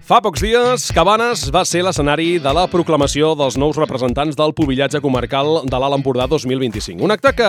Fa pocs dies, Cabanes va ser l'escenari de la proclamació dels nous representants del pubillatge comarcal de l'Alt Empordà 2025. Un acte que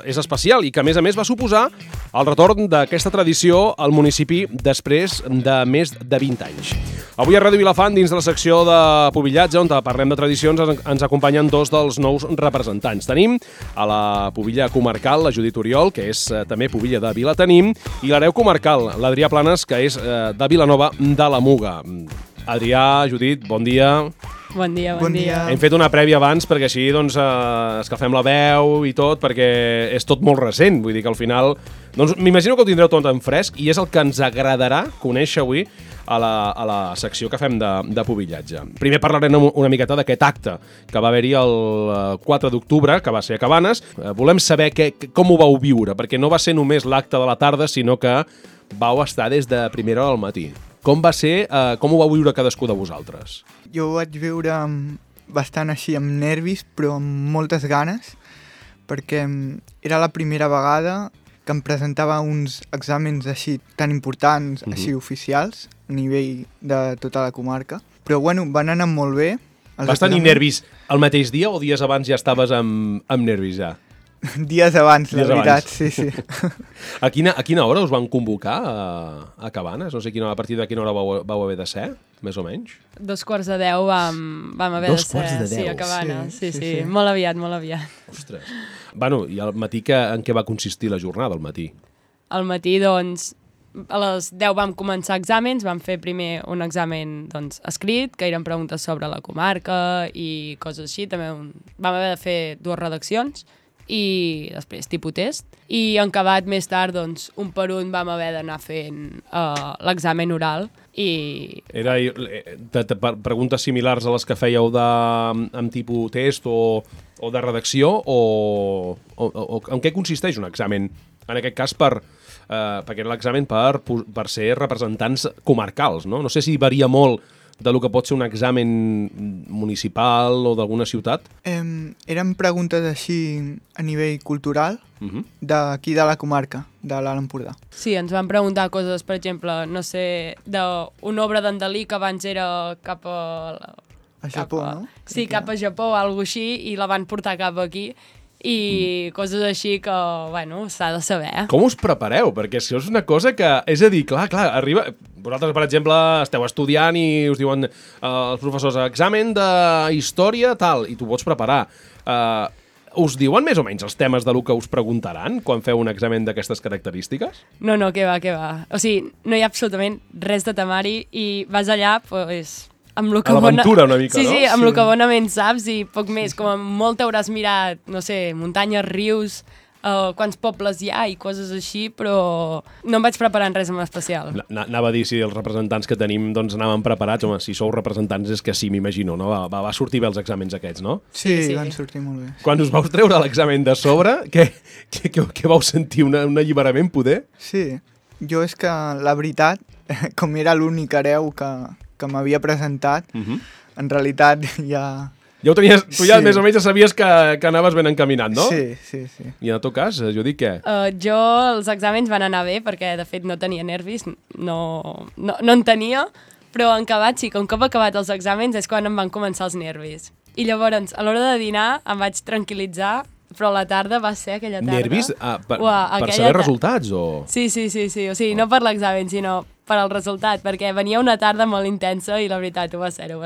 és especial i que, a més, va suposar el retorn d'aquesta tradició al municipi després de més de 20 anys. Avui a Ràdio Vilafant, dins de la secció de pubillatge, on parlem de tradicions, ens acompanyen dos dels nous representants. Tenim a la pubilla comarcal, la Judit Oriol, que és també pubilla de Vilatenim, i l'hereu comarcal, l'Adrià Planes, que és de Vilanova de la Muga. Adrià, Judit, bon dia. Bon dia, bon dia. Hem fet una prèvia abans perquè així escalfem la veu i tot, perquè és tot molt recent. Vull dir que al final... m'imagino que ho tindreu tot en fresc i és el que ens agradarà conèixer avui a la secció que fem de pubillatge. Primer parlarem una miqueta d'aquest acte que va haver-hi el 4 d'octubre, que va ser a Cabanes. Volem saber com ho vau viure, perquè no va ser només l'acte de la tarda, sinó que vau estar des de primera hora al matí. Com va ser, com ho vau viure cadascú de vosaltres? Jo ho vaig viure bastant així, amb nervis, però amb moltes ganes, perquè era la primera vegada que em presentava uns exàmens així tan importants, així oficials, a nivell de tota la comarca. Però bueno, van anar molt bé. Vas tenir nervis el mateix dia o dies abans ja estaves amb nervis ja? Dies abans, la veritat, sí. A quina hora us van convocar a Cabanes? No sé a partir de quina hora vau haver de ser, més o menys? 9:45 vam haver de ser, sí, a Cabanes. Sí. Molt aviat. Ostres. Bueno, i al matí en què va consistir la jornada, al matí? Al matí, doncs, a les 10 vam començar exàmens, vam fer primer un examen escrit, que eren preguntes sobre la comarca i coses així. També vam haver de fer 2 redaccions, i després tipus test. I en acabat més tard, doncs, un per un vam haver d'anar fent l'examen oral. Era preguntes similars a les que fèieu amb tipus test o de redacció o en què consisteix un examen? En aquest cas perquè era l'examen per ser representants comarcals, no? No sé si varia molt de lo que pot ser un examen municipal o d'alguna ciutat? Eren preguntes així a nivell cultural d'aquí de la comarca, de l'Alt Empordà. Sí, ens van preguntar coses, per exemple, no sé, d'una obra d'en Dalí que abans era cap a... A Japó, no? Sí, cap a Japó o alguna cosa així, i la van portar cap aquí. I coses així que, bueno, s'ha de saber. Com us prepareu? Perquè això és una cosa que... És a dir, clar, arriba... Vosaltres, per exemple, esteu estudiant i us diuen els professors examen de història, tal, i tu pots preparar. Us diuen més o menys els temes de lo que us preguntaran quan feu un examen d'aquestes característiques? No, què va. O sigui, no hi ha absolutament res de temari i vas allà, doncs... A l'aventura una mica, no? Sí, amb el que bonament saps i poc més. Com a molt t'hauràs mirat, no sé, muntanyes, rius, quants pobles hi ha i coses així, però no em vaig preparant res en especial. Anava a dir si els representants que tenim doncs anaven preparats. Home, si sou representants és que sí, m'imagino, no? Va sortir bé els exàmens aquests, no? Sí, van sortir molt bé. Quan us vau treure l'examen de sobre, què vau sentir? Un alliberament, poder? Sí, jo és que la veritat, com era l'únic hereu que m'havia presentat, en realitat ja... Ja ho tenies, tu ja més o menys sabies que anaves ben encaminat, no? Sí. I en el teu cas, Judit, què? Jo, els exàmens van anar bé, perquè de fet no tenia nervis, no en tenia, però en acabat sí, que un cop acabat els exàmens és quan em van començar els nervis. I llavors, a l'hora de dinar, em vaig tranquil·litzar, però la tarda va ser aquella tarda... Nervis? Per saber resultats, o...? Sí, o sigui, no per l'examen, sinó per al resultat, perquè venia una tarda molt intensa i la veritat ho va ser-ho.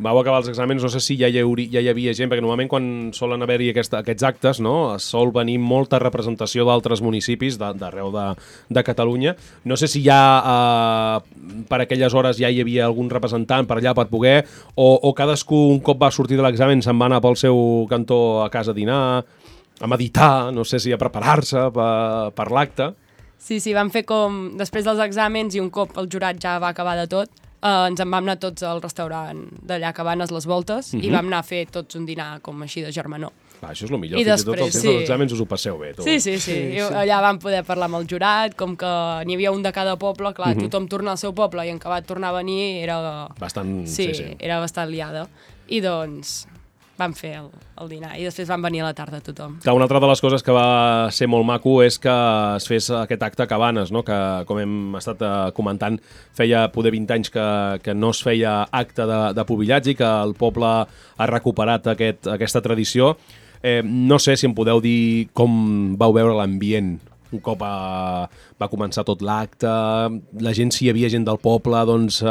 Vau acabar els exàmens, no sé si ja hi havia gent, perquè normalment quan solen haver-hi aquests actes, no, sol venir molta representació d'altres municipis d'arreu de Catalunya. No sé si ja per aquelles hores ja hi havia algun representant per allà per poder, o cadascú un cop va sortir de l'examen se'n va anar pel seu cantó a casa a dinar, a meditar, no sé si a preparar-se per l'acte. Sí, vam fer com després dels exàmens i un cop el jurat ja va acabar de tot, ens en vam anar tots al restaurant d'allà a Cabanes, Les Voltes, i vam anar a fer tots un dinar com així de germanor. Això és el millor, fins i tot els exàmens us ho passeu bé. Sí. Allà vam poder parlar amb el jurat, com que n'hi havia un de cada poble, clar, tothom torna al seu poble i en acabat tornar a venir era... Bastant... Sí, era bastant liada. I doncs... vam fer el dinar i després van venir a la tarda tothom. Que una altra de les coses que va ser molt maco és que es fes aquest acte a Cabanes, no? Que, com hem estat comentant, feia poder 20 anys que no es feia acte de pubillatge i que el poble ha recuperat aquesta tradició. No sé si em podeu dir com vau veure l'ambient un cop va començar tot l'acte, la gent, si hi havia gent del poble, doncs,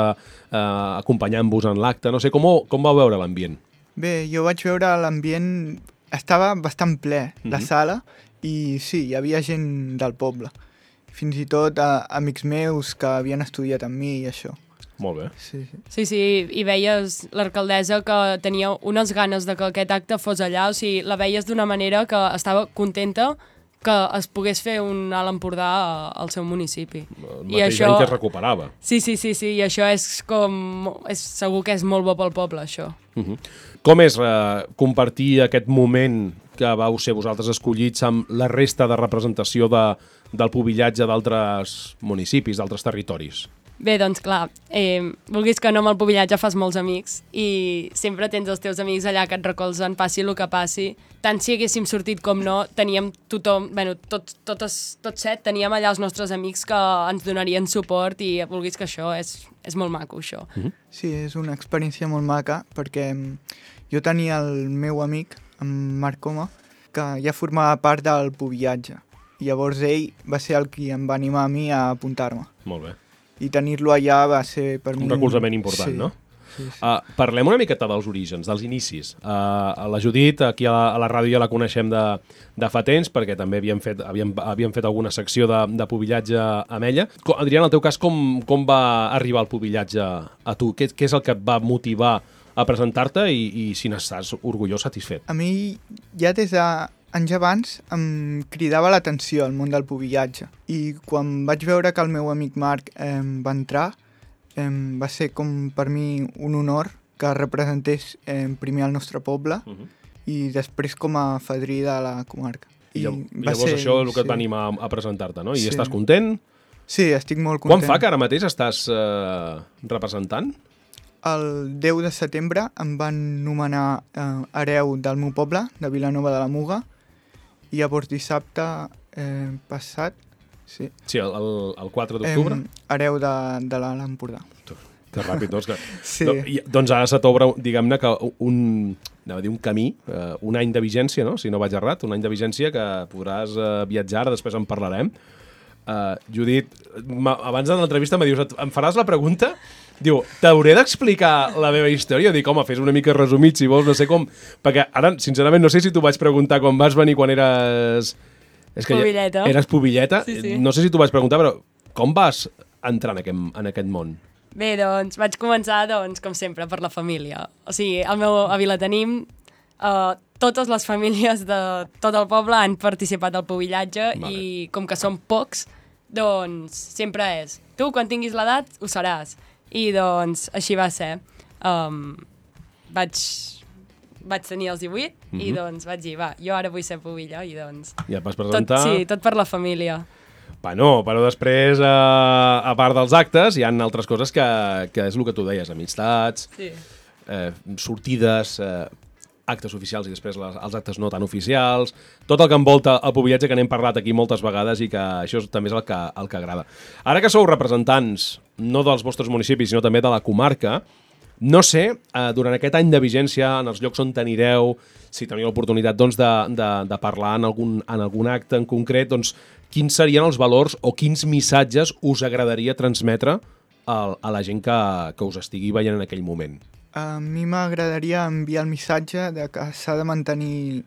acompanyant-vos en l'acte, no sé, com vau veure l'ambient? Bé, jo vaig veure l'ambient, estava bastant ple, la sala, i sí, hi havia gent del poble. Fins i tot amics meus que havien estudiat amb mi i això. Molt bé. Sí, i veies l'alcaldessa que tenia unes ganes de que aquest acte fos allà, o sigui, la veies d'una manera que estava contenta que es pogués fer un Alt Empordà al seu municipi. El mateix any que es recuperava. Sí, i això segur que és molt bo pel poble, això. Com és compartir aquest moment que vau ser vosaltres escollits amb la resta de representació del pubillatge d'altres municipis, d'altres territoris? Bé, doncs clar, vulguis que no, amb el pubillatge fas molts amics i sempre tens els teus amics allà que et recolzen, passi el que passi. Tant si haguéssim sortit com no, teníem tothom, tots 7, teníem allà els nostres amics que ens donarien suport i vulguis que això és molt maco, això. Sí, és una experiència molt maca perquè jo tenia el meu amic, en Marc Coma, que ja formava part del pubillatge i llavors ell va ser el qui em va animar a mi a apuntar-me. Molt bé. I tenir-lo allà va ser per mi... Un recolzament important, sí. No? Sí. Parlem una miqueta dels orígens, dels inicis. La Judit, aquí a la ràdio ja la coneixem de fa temps, perquè també havíem fet alguna secció de pubillatge amb ella. Adrià, en el teu cas, com va arribar el pubillatge a tu? Què és el que et va motivar a presentar-te i si n'estàs orgullós, satisfet? A mi, ja des d'anys abans, em cridava l'atenció el món del pubillatge. I quan vaig veure que el meu amic Marc va entrar, va ser com per mi un honor que representés primer el nostre poble i després com a fadrí de la comarca. I llavors això és el que et va animar a presentar-te, no? I estàs content? Sí, estic molt content. Quan fa que ara mateix estàs representant? El 10 de setembre em van nomenar hereu del meu poble, de Vilanova de la Muga, i llavors dissabte passat, sí, el 4 d'octubre? Hereu de l'Alt Empordà. Que ràpid, doncs. Sí. Doncs ara se t'obre, diguem-ne, que un camí, un any de vigència, no? Si no vaig errat, un any de vigència que podràs viatjar, ara després en parlarem. Judit, abans de l'entrevista me dius, em faràs la pregunta? Diu, t'hauré d'explicar la meva història? Dic, home, fes una mica resumit, si vols, no sé com... Perquè ara, sincerament, no sé si t'ho vaig preguntar quan vas venir, quan eres... Pubilleta. Eres pubilleta. Sí. No sé si t'ho vaig preguntar, però com vas entrar en aquest món? Bé, doncs, vaig començar, com sempre, per la família. O sigui, al meu avi la tenim, totes les famílies de tot el poble han participat al pubillatge i com que som pocs, doncs sempre és. Tu, quan tinguis l'edat, ho seràs. I doncs així va ser. Vaig tenir els 18 i doncs vaig dir, jo ara vull ser pubilla i doncs... Ja et vas presentar... Tot per la família. Bueno, però després, a part dels actes, hi ha altres coses que és el que tu deies, amistats, sortides, actes oficials i després els actes no tan oficials, tot el que envolta el pubillatge que n'hem parlat aquí moltes vegades i que això també és el que agrada. Ara que sou representants no dels vostres municipis, sinó també de la comarca, no sé, durant aquest any de vigència, en els llocs on anireu, si teniu l'oportunitat doncs, de parlar en algun acte en concret, doncs, quins serien els valors o quins missatges us agradaria transmetre a la gent que us estigui veient en aquell moment? A mi m'agradaria enviar el missatge de que s'ha de mantenir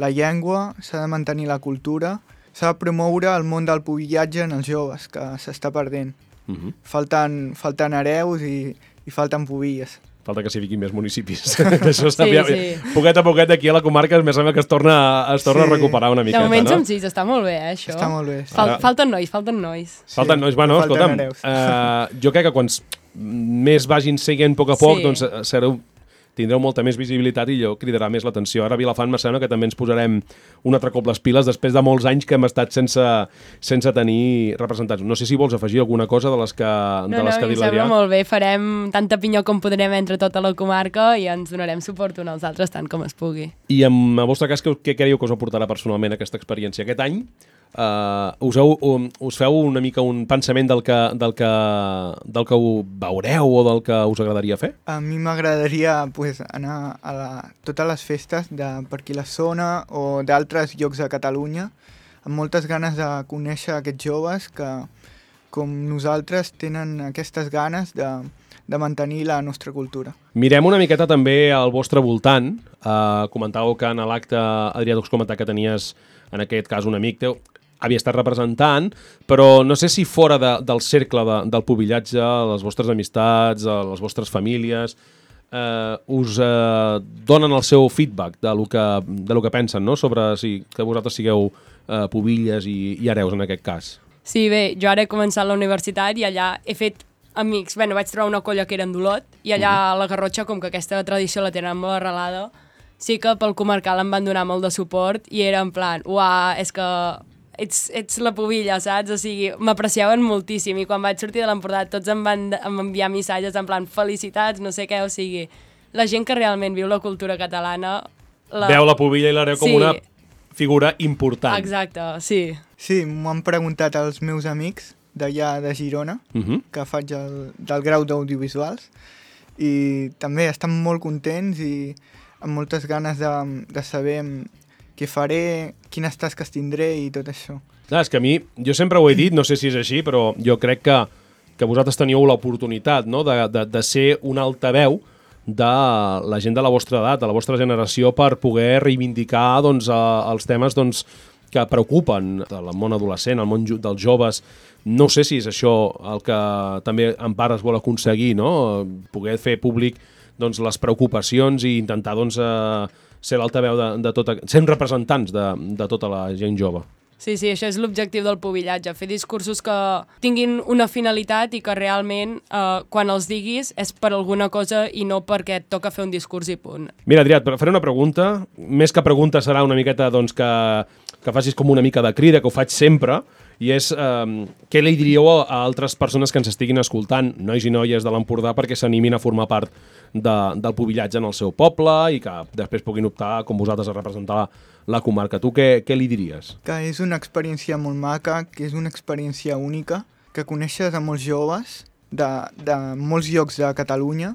la llengua, s'ha de mantenir la cultura, s'ha de promoure el món del pubillatge en els joves, que s'està perdent. Falten hereus i falten pubilles. Falta que s'hi fiquin més municipis. Això sí. Poquet a poquet aquí a la comarca em sembla que es torna a recuperar una miqueta. De moment som 6, està molt bé, això. Està molt bé. Falten nois. Falten nois, bueno, escolta'm. Jo crec que quan més vagin seguint a poc a poc, doncs tindreu molta més visibilitat i allò cridarà més l'atenció. Ara a Vilafant me sembla que també ens posarem un altre cop les piles després de molts anys que hem estat sense tenir representats. No sé si vols afegir alguna cosa de les que ha dit l'Adrià. No, em sembla molt bé. Farem tanta pinyó com podrem entre tota la comarca i ens donarem suport uns als altres tant com es pugui. I en el vostre cas, què creieu que us aportarà personalment aquesta experiència? Aquest any us feu una mica un pensament del que ho veureu o del que us agradaria fer? A mi m'agradaria anar a totes les festes per aquí la zona o d'altres llocs de Catalunya amb moltes ganes de conèixer aquests joves que, com nosaltres, tenen aquestes ganes de mantenir la nostra cultura. Mirem una miqueta també al vostre voltant. Comentàveu que en l'acte, Adrià, tu has comentat que tenies, en aquest cas, un amic teu, havia estat representant, però no sé si fora del cercle del pubillatge, les vostres amistats, les vostres famílies, us donen el seu feedback de lo que pensen, no? Sobre que vosaltres sigueu pubilles i hereus en aquest cas. Sí, bé, jo ara he començat la universitat i allà he fet amics. Vaig trobar una colla que era en d'Olot i allà a la Garrotxa, com que aquesta tradició la tenen molt arrelada, sí que pel comarcal em van donar molt de suport i era en plan, uah, és que ets la pubilla, saps? O sigui, m'apreciaven moltíssim i quan vaig sortir de l'Empordà tots em van enviar missatges en plan felicitats, no sé què, o sigui, la gent que realment viu la cultura catalana... Veu la pubilla i l'hereu com una figura important. Exacte, sí. Sí, m'ho han preguntat els meus amics d'allà de Girona, que faig del grau d'audiovisuals, i també estan molt contents i amb moltes ganes de saber què faré, quines tasques tindré i tot això. Clar, és que a mi, jo sempre ho he dit, no sé si és així, però jo crec que vosaltres teníeu l'oportunitat, no?, de ser un altaveu de la gent de la vostra edat, de la vostra generació, per poder reivindicar doncs, els temes doncs, que preocupen el món adolescent, el món dels joves. No sé si és això el que també en part es vol aconseguir, no?, poder fer públic doncs, les preocupacions i intentar doncs, ser l'altaveu ser representants de tota la gent jove. Sí, això és l'objectiu del pubillatge, fer discursos que tinguin una finalitat i que realment quan els diguis és per alguna cosa i no perquè et toca fer un discurs i punt. Mira, Adrià, faré una pregunta. Més que pregunta serà una miqueta doncs, que facis com una mica de crida, que ho faig sempre, i és què li diríeu a altres persones que ens estiguin escoltant, nois i noies de l'Empordà, perquè s'animin a formar part del pubillatge en el seu poble i que després puguin optar, com vosaltres, a representar la comarca. Tu què li diries? Que és una experiència molt maca, que és una experiència única, que coneixes a molts joves de molts llocs de Catalunya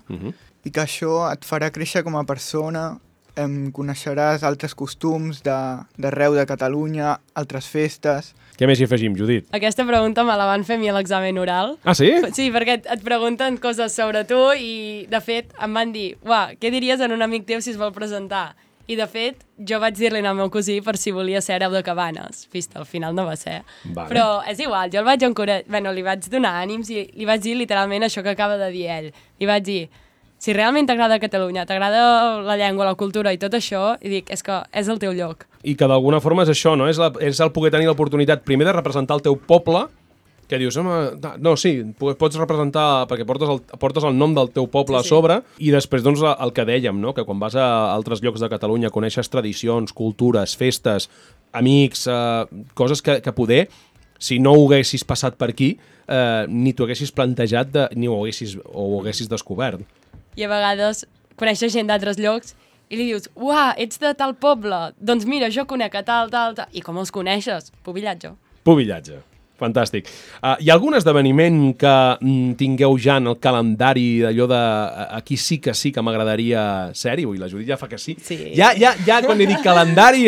i que això et farà créixer com a persona, coneixeràs altres costums d'arreu de Catalunya, altres festes. Què més hi afegim, Judit? Aquesta pregunta me la van fer a mi a l'examen oral. Ah, sí? Sí, perquè et pregunten coses sobre tu i, de fet, em van dir, uah, què diries en un amic teu si es vol presentar? I, de fet, jo vaig dir-li al meu cosí per si volia ser hereu de Cabanes. Vist, al final no va ser. Vale. Però és igual, jo el vaig encoratjar, li vaig donar ànims i li vaig dir literalment això que acaba de dir ell. Li vaig dir, si realment t'agrada Catalunya, t'agrada la llengua, la cultura i tot això, i dic, és que és el teu lloc. I que d'alguna forma és això, no? És el poder tenir l'oportunitat primer de representar el teu poble, que dius, no, sí, pots representar perquè portes el nom del teu poble a sobre, i després doncs el que dèiem, no? Que quan vas a altres llocs de Catalunya coneixes tradicions, cultures, festes, amics, coses que poder, si no ho haguessis passat per aquí, ni t'ho haguessis plantejat ni ho haguessis descobert. I a vegades coneixes gent d'altres llocs i li dius, uah, ets de tal poble, doncs mira, jo conec a tal. I com els coneixes? Pubillatge. Pubillatge. Fantàstic. Hi ha algun esdeveniment que tingueu ja en el calendari d'allò de aquí sí que m'agradaria ser-hi? Ui, la Judit ja fa que sí. Ja quan li dic calendari,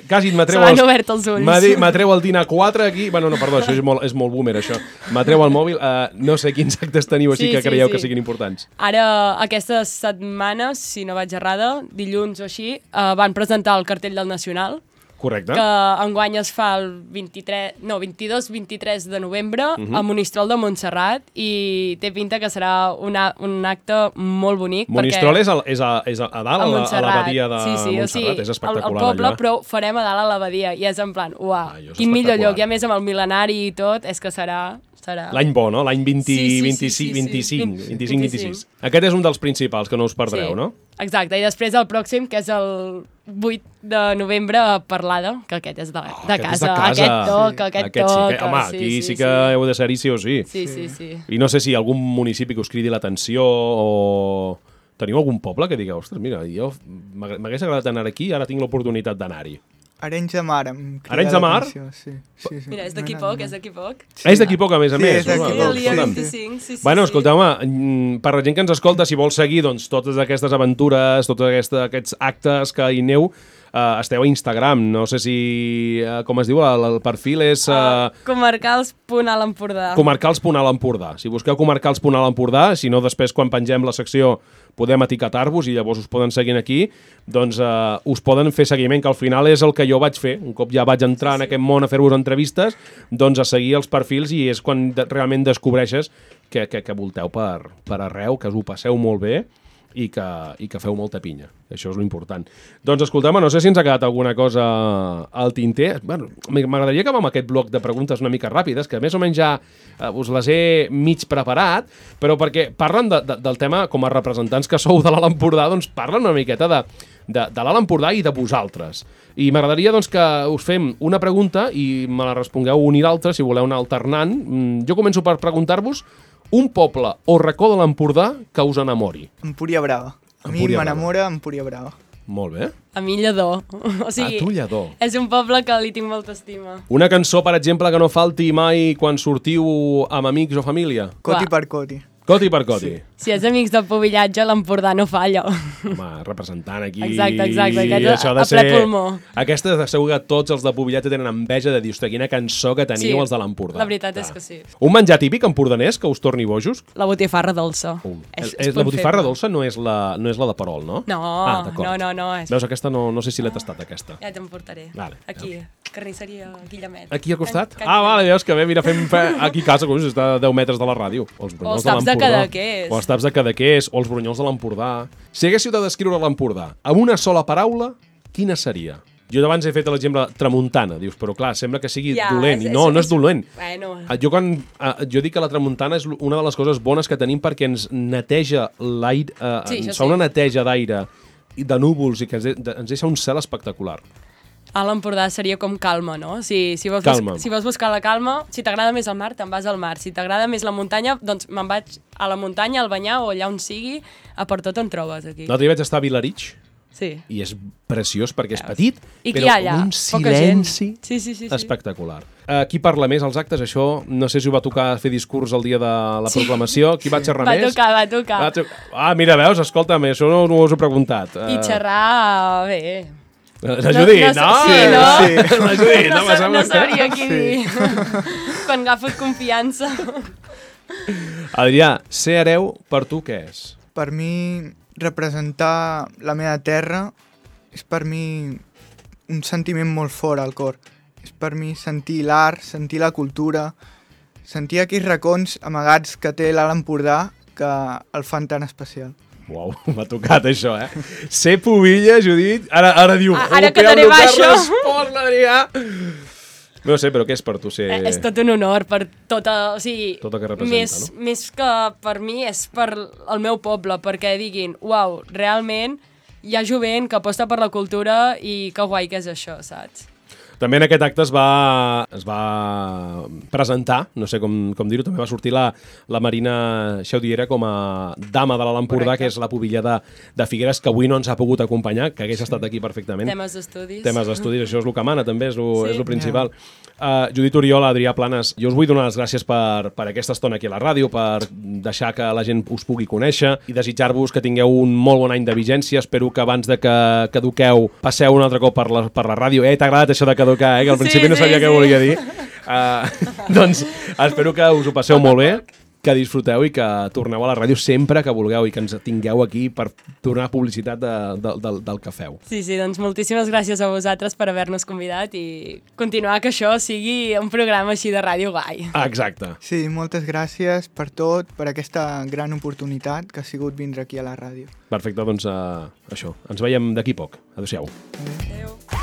quasi m'atreu se m'han obert els ulls. M'atreu el dinar 4 aquí. Bueno, no, perdó, això és molt boomer, això. M'atreu el mòbil. No sé quins actes teniu així que creieu que siguin importants. Ara, aquestes setmanes, si no vaig errada, dilluns o així, van presentar el cartell del Nacional. Correcte. Que enguany es fa el 22-23 de novembre a Monistrol de Montserrat i té pinta que serà un acte molt bonic. Monistrol és a dalt, a l'abadia de Montserrat, és espectacular el poble, però ho farem a dalt a l'abadia i és en plan, uah, quin millor lloc, i a més amb el mil·lenari i tot, és que serà estarà. L'any bo, no? L'any 25. 25-26. Aquest és un dels principals, que no us perdreu, no? Exacte, i després el pròxim, que és el 8 de novembre, a Parlada, que aquest és de casa. Aquest toca. Home, aquí sí que heu de ser-hi sí o sí. Sí. I no sé si algun municipi que us cridi l'atenció o... Teniu algun poble que digueu, ostres, mira, jo m'hagués agradat anar aquí i ara tinc l'oportunitat d'anar-hi. Arenys de Mar. Arenys de Mar? Sí. Mira, és d'aquí poc, és d'aquí poc. És d'aquí poc, a més a més. Sí, és d'aquí El dia 25, sí. Bueno, escolteu, per la gent que ens escolta, si vol seguir doncs, totes aquestes aventures, tots aquests actes que hi aneu, esteu a Instagram. No sé si, com es diu, el perfil és... Comarcals.altempordà. Comarcals.altempordà. Si busqueu Comarcals.altempordà, si no, després quan pengem la secció podem etiquetar-vos i llavors us poden seguir aquí, doncs us poden fer seguiment, que al final és el que jo vaig fer. Un cop ja vaig entrar en aquest món a fer-vos entrevistes, doncs a seguir els perfils i és quan realment descobreixes que volteu per arreu, que us ho passeu molt bé i que feu molta pinya. Això és l'important. Doncs escolteu-me, no sé si ens ha quedat alguna cosa al tinter. Bueno, m'agradaria acabar amb aquest bloc de preguntes una mica ràpides, que més o menys ja us les he mig preparat, però perquè parlen del tema, com a representants que sou de l'Alt Empordà, doncs parlen una miqueta de l'Alt Empordà i de vosaltres. I m'agradaria doncs, que us fem una pregunta i me la respongueu un i l'altre, si voleu anar alternant. Jo començo per preguntar-vos un poble o racó de l'Empordà que us enamori. Empúria Brava. A mi m'enamora Empúria Brava. Molt bé. A mi Lledó. O sigui, a tu Lledó. És un poble que li tinc molta estima. Una cançó, per exemple, que no falti mai quan sortiu amb amics o família? Coti per coti. Coti per coti. Sí. Si és amics del Pubillatge, l'Empordà no falla. Home, representant aquí... Exacte, això a ple pulmó. Aquesta de segur que tots els de Pubillatge tenen enveja de dir, ostres, quina cançó que teniu els de l'Empordà. La veritat és que sí. Un menjar típic empordanès que us torni bojos? La botifarra dolça. La botifarra dolça no és la de Perol, no? No, no. Veus, aquesta no sé si l'he tastat, aquesta. Ja te'n portaré. Vale. Aquí, carnisseria Guillemet. Aquí al costat? Vale, veus que bé, mira, fem aquí a casa, està a 10 metres de la ràdio. O els taps de Cadaqués. O els taps de Cadaqués, o els brunyols de l'Empordà. Si haguéssiu de descriure l'Empordà amb una sola paraula, quina seria? Jo abans he fet l'exemple tramuntana, dius, però clar, sembla que sigui dolent. I no és dolent. Bueno. Jo dic que la tramuntana és una de les coses bones que tenim perquè ens neteja l'aire, ens fa una neteja d'aire i de núvols i que ens deixa un cel espectacular. A l'Empordà seria com calma, no? Si vols buscar la calma, si t'agrada més el mar, te'n vas al mar. Si t'agrada més la muntanya, doncs me'n vaig a la muntanya, al Banyar o allà on sigui, a per tot on trobes aquí. L'altre dia vaig estar a Vilarig, sí. I és preciós perquè és petit, però un silenci sí. espectacular. Qui parla més als actes? Això, no sé si us va tocar fer discurs el dia de la proclamació. Qui va xerrar més? Va tocar. Mira, veus, escolta'm, això no us ho he preguntat. I xerrar, bé... La Judit, no? Sí. La Judit, no sabria què dir. Quan agafes confiança. Adrià, ser hereu per tu què és? Per mi, representar la meva terra és per mi un sentiment molt fort al cor. És per mi sentir l'art, sentir la cultura, sentir aquells racons amagats que té l'Alt Empordà que el fan tan especial. Uau, m'ha tocat això, Ser pubilla, Judit, ara diu... Ara quedaré baixa. Respost, l'Adrià. No sé, però què és per tu ser... És tot un honor per tota... O sigui, tot el que representa, no? Més que per mi és per el meu poble, perquè diguin, uau, realment hi ha jovent que aposta per la cultura i que guai que és això, saps? També en aquest acte es va presentar, no sé com dir-ho, també va sortir la Marina Xaudiera com a dama de l'Alt Empordà, que és la pubilla de Figueres, que avui no ens ha pogut acompanyar, que hagués estat aquí perfectament. Temes d'estudis, això és el que mana, també, és el principal. Judit Oriol, Adrià Planes, jo us vull donar les gràcies per aquesta estona aquí a la ràdio, per deixar que la gent us pugui conèixer i desitjar-vos que tingueu un molt bon any de vigència. Espero que abans de que caduqueu passeu un altre cop per la ràdio. T'ha agradat això de caducar, que al principi no sabia què volia dir. Doncs espero que us ho passeu molt bé, que disfruteu i que torneu a la ràdio sempre que vulgueu i que ens tingueu aquí per tornar publicitat del que feu. Sí, doncs moltíssimes gràcies a vosaltres per haver-nos convidat i continuar que això sigui un programa així de ràdio guai. Exacte. Sí, moltes gràcies per tot, per aquesta gran oportunitat que ha sigut vindre aquí a la ràdio. Perfecte, doncs això. Ens veiem d'aquí poc. Adéu-siau. Adéu.